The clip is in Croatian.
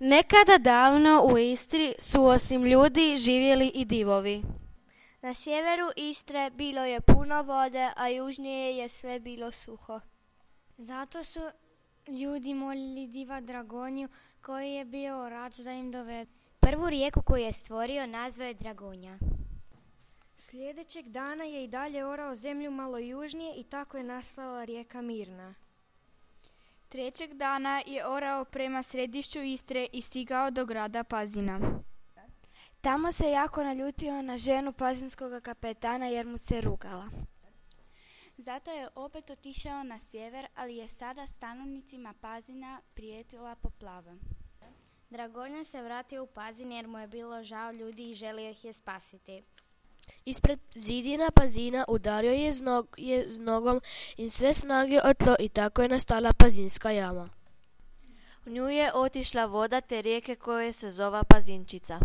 Nekada davno u Istri su osim ljudi živjeli i divovi. Na sjeveru Istre bilo je puno vode, a južnije je sve bilo suho. Zato su ljudi molili diva Dragonju koji je bio rad da im dovede. Prvu rijeku koju je stvorio nazvao je Dragonja. Sljedećeg dana je i dalje orao zemlju malo južnije i tako je nastala rijeka Mirna. Trećeg dana je orao prema središću Istre i stigao do grada Pazina. Tamo se jako naljutio na ženu pazinskog kapetana jer mu se rugala. Zato je opet otišao na sjever, ali je sada stanovnicima Pazina prijetila poplava. Dragonja se vratio u Pazin jer mu je bilo žao ljudi i želio ih je spasiti. Ispred zidina Pazina udario je s nogom i sve snage o tlo i tako je nastala Pazinska jama. U nju je otišla voda te rijeke koje se zova Pazinčica.